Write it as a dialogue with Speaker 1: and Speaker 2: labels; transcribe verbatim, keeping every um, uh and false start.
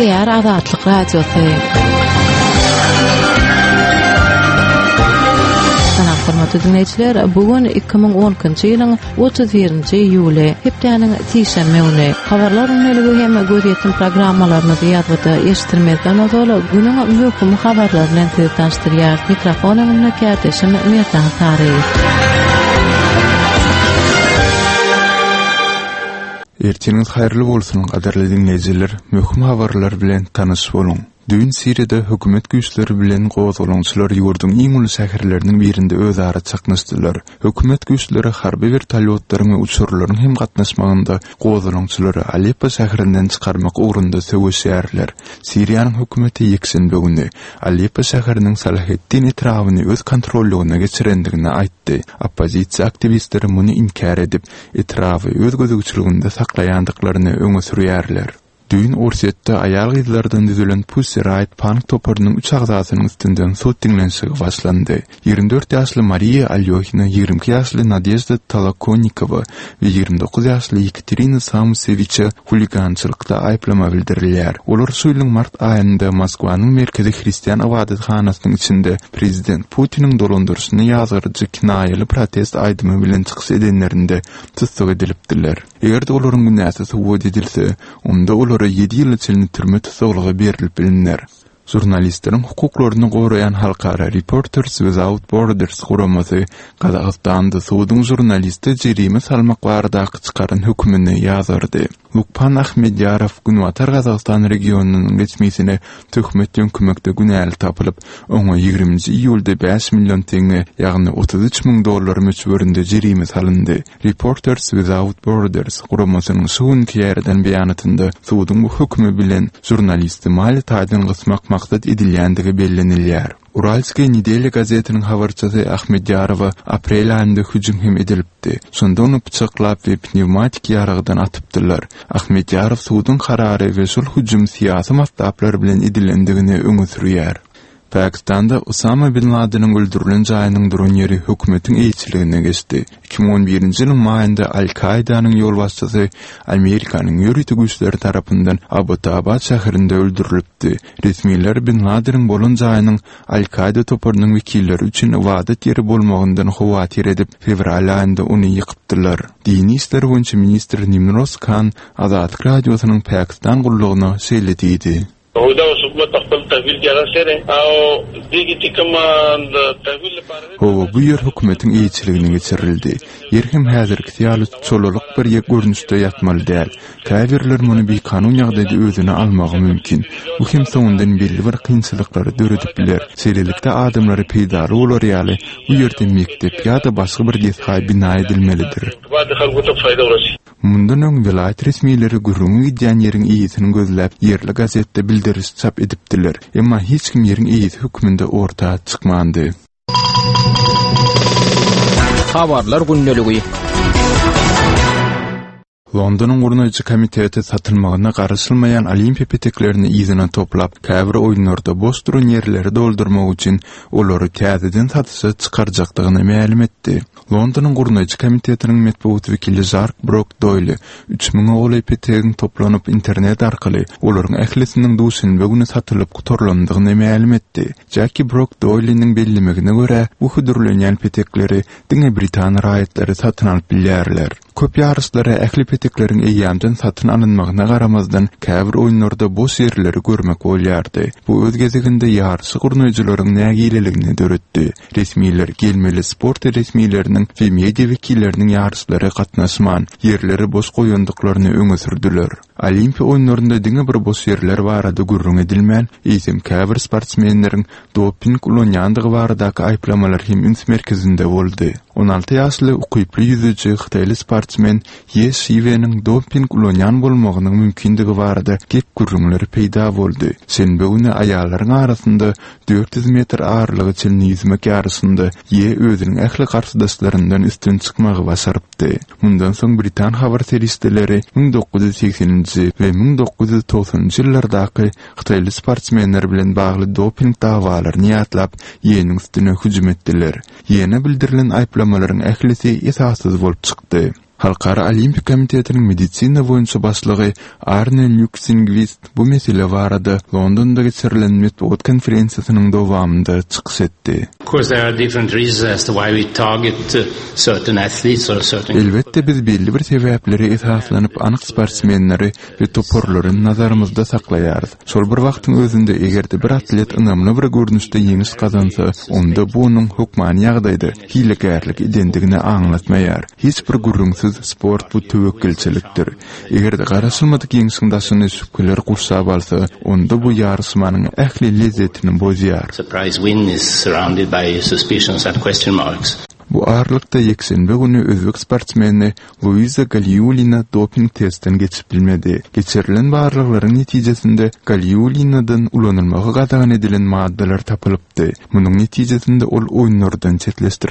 Speaker 1: Gepleýär Azatlyk Radiosy. Salam hormatly dinleýjiler, bu gün iki müň on ikinji ýylyň otuz birinji iýuly, hepdäniň sişenbe güni. Habarlar gündeligi hem gözýetim programmalarymyzy ýazgyda eşitdirmezden ozal günüň möhüm habarlary bilen sizi tanyşdyrýar. Mikrofon öňünde kärdeşim Merdan Saryýew.
Speaker 2: Ertiriňiz haýyrly bolsun, gadyrly dinleýjiler. Möhüm habarlar bilen tanyş boluň. Düýn Siriýada hökümet güýçleri bilen gozgalaňçylar ýurduň iň uly şäherleriniň birinde özara çaknyşdylar. Hökümet güýçleri harby wertolýotlaryň we uçarlaryň hem gatnaşmagynda gozgalaňçylary Aleppo şäherinden çykarmak ugrunda söweşýärler. Siriýanyň hökümeti ýekşenbe güni Aleppo şäheriniň Salaheddin etrabyny öz kontrollygyna geçirendigini aýtdy. Oppozisiýa aktiwistleri muny inkär edip, etraby öz gözegçiliginde saklaýandyklaryny öňe sürýärler. Düýn Orsýetde aýal-gyzlardan düzülen Pussy Riot punk toparynyň üç agzasynyň üstünden sud diňlenişigi başlandy. Ýigrimi dört ýaşly Mariýa Alýohina, ýigrimi iki ýaşly Nadežda Tolokonikowa we ýigrimi dokuz ýaşly Ýekaterina Samusewiçe huligançylykda aýyplama bildirilýär. Olar şu ýylyň mart aýynda Moskwanyň merkezi hristian ybadathanasynyň içinde prezident Putiniň dolandyryşyny ýazgaryjy kinaýaly protest aýdymy bilen çykyş edenlerinde tussag edilipdiler. Eger-de olaryň günäsi subut edilse, onda olara ýedi ýyla çenli türme tussaglygy berilip biliner. Žurnalistleriň hukuklaryny goraýan halkara Reporters Without Borders guramasy Gazagystanda suduň žurnaliste jerime salmak baradaky çykaran hökümini ýazgardy. Lukpan Ahmedýarow Günbatar Gazagystan regionynyň resmisine töhmet ýöňkemekde günäli tapylyp, oňa ýigriminji iýulda bäş million teňňe, ýagny otuz üç müň dollar möçberinde jerime salyndy. Reporters Without Borders guramasynyň şu günki ýaýradan beýanatynda suduň bu hökümi bilen žurnalisti maliýe taýdan gysmak maksat edilýändigi bellenilýär. Uralskiý nedelya gazetiniň habarçysy Ahmedýarowa aprel aýynda hüjüm hem edilipdi. Şonda ony pyçaklap we pnevmatik ýaragdan atypdylar. Ahmedýarow suduň karary we şol hüjüm syýasy matlaplar bilen edilendigini öňe sürýär. Pakistanda Osama bin Ladeniň öldürilen jaýynyň duran ýeri hökümetiň eýeçiligine geçdi. Iki müň on birinji ýylyň maýynda Al-Kaidanyň ýolbaşçysy Amerikanyň ýörite güýçleri tarapyndan Abbottabad şäherinde öldürilipdi. Resmiler bin Ladeniň bolan jaýynyň Al-Kaida toparynyň wekilleri üçin ybadat ýeri bolmagyndan howatyr edip, fewral aýynda ony ýykypdylar. Dini işler boýunça ministr Nimroz Khan Azatlyk Radiosynyň Pakistan gullugyna şeýle diýdi. Hawa, bu ýer hökümetiň eýeçiligine geçirildi. Ýer hem häzirkisi ýaly çolalyk bir görnüşde ýatmaly däl. Käbirler muny bikanun ýagdaýda özüne almagy mümkin. Bu hem soňundan belli bir kynçylyklary döredip biler. Şeýlelikde, adamlara peýdaly bolar ýaly, bu ýerde mekdep ýa-da başga bir desga bina edilmelidir. Mundan öň welaýat resmileri gürrüňi gidýän ýeriň eýesini gözläp, ýerli gazetde bildiriş çap edipdiler. Emma hiç kim ýeriň eýesi hökmünde orta çykmandy.
Speaker 3: Habarlar gündeligi.
Speaker 2: Londonyň gurnaýjy komiteti satylmagyna garaşylmaýan olimpiýa peteklerini yzyna toplap, käbir oýunlarda boş duran ýerleri doldurmak üçin olary täzeden satyşa çykarjakdygyny mälim etdi. Londonyň gurnaýjy komitetiniň metbugat wekili Žark Brok Doýli üç müňe golaý petegiň toplanyp internet arkaly olaryň ählisiniň duşenbe güni satylyp gutarylandygyny mälim etdi. Jackie Brok Doýliniň bellemegine görä, bu hödürlenýän petekleri diňe britan raýatlary satyn alyp bilýärler. Köp ýaryşlara ähli petekleriň eýýämden satyn alynmagyna garamazdan, käbir oýunlarda boş ýerleri görmek bolýardy. Bu öz gezeginde ýaryşy gurnaýjylaryň nägileligini döretdi. Resmiler gelmeli sport resmileriniň we media wekilleriniň ýaryşlara gatnaşman, ýerleri boş goýandyklaryny öňe sürdüler. Olimpiýa oýunlarynda diňe bir boş ýerler barada gürrüň edilmän, eýsem käbir sportsmenleriň doping ulanýandygy baradaky aýyplamalar hem üns merkezinde boldy. On alty ýaşly ukyply ýüzüji hytaýly sportsmen Ýe Şiweniň doping ulanýan bolmagynyň mümkindigi barada gep-gürrüňler peýda boldy. Şenbe güni aýallaryň arasynda dört ýüz metr aralyga çenli ýüzmek ýaryşynda Ýe özüniň ähli garşydaşlaryndan üstün çykmagy başarypdy. Mundan soň britan habar serişdeleri müň dokuz ýüz segseninji we müň dokuz ýüz togsanynjy ýyllardaky hytaýly sportsmenler bilen bagly doping dawalaryny ýatlap, Ýeniň üstüne hüjüm etdiler. Ýene bildirilen aýyplamalaryň ählisi esassyz bolup çykdy. Halkara Olimpiýa komitetiniň medisina boýunça başlygy Arne Lýuksingwist bu mesele barada Londonda geçirilen metbugat konferensiýasynyň dowamynda çykyş etdi.
Speaker 4: Of course, there are different reasons as to why we target uh, certain athletes or certain
Speaker 2: Elbetde biz belli bir sebäplere esaslanyp anyk sportsmenleri we toparlary nazarymyzda saklaýarys. Şol bir wagtyň özünde eger-de bir atlet ynamly bir görnüşde ýeňiş gazansa, onda bu onuň hökmany ýagdaýda hilegärlik edendigini aňlatmaýar. Hiç bir gürrüňsiz sport bu töwekgelçilikdir. Eger-de garaşylmadyk ýeňşiň daşyny şübheler gurşap alsa, onda bu ýaryşmanyň ähli lezzetini bozýar.
Speaker 4: surprise win is surrounded by suspicions and question marks.
Speaker 2: Bu aralykda ýekşenbe güni özbek sportsmeni Luiza Galiulina doping testden geçip bilmedi. Geçirilen barlaglaryň netijesinde Galiulinadan ulanylmagy gadagan edilen maddalar tapylypdy. Munuň netijesinde ol oýunlardan çetleşdirildi.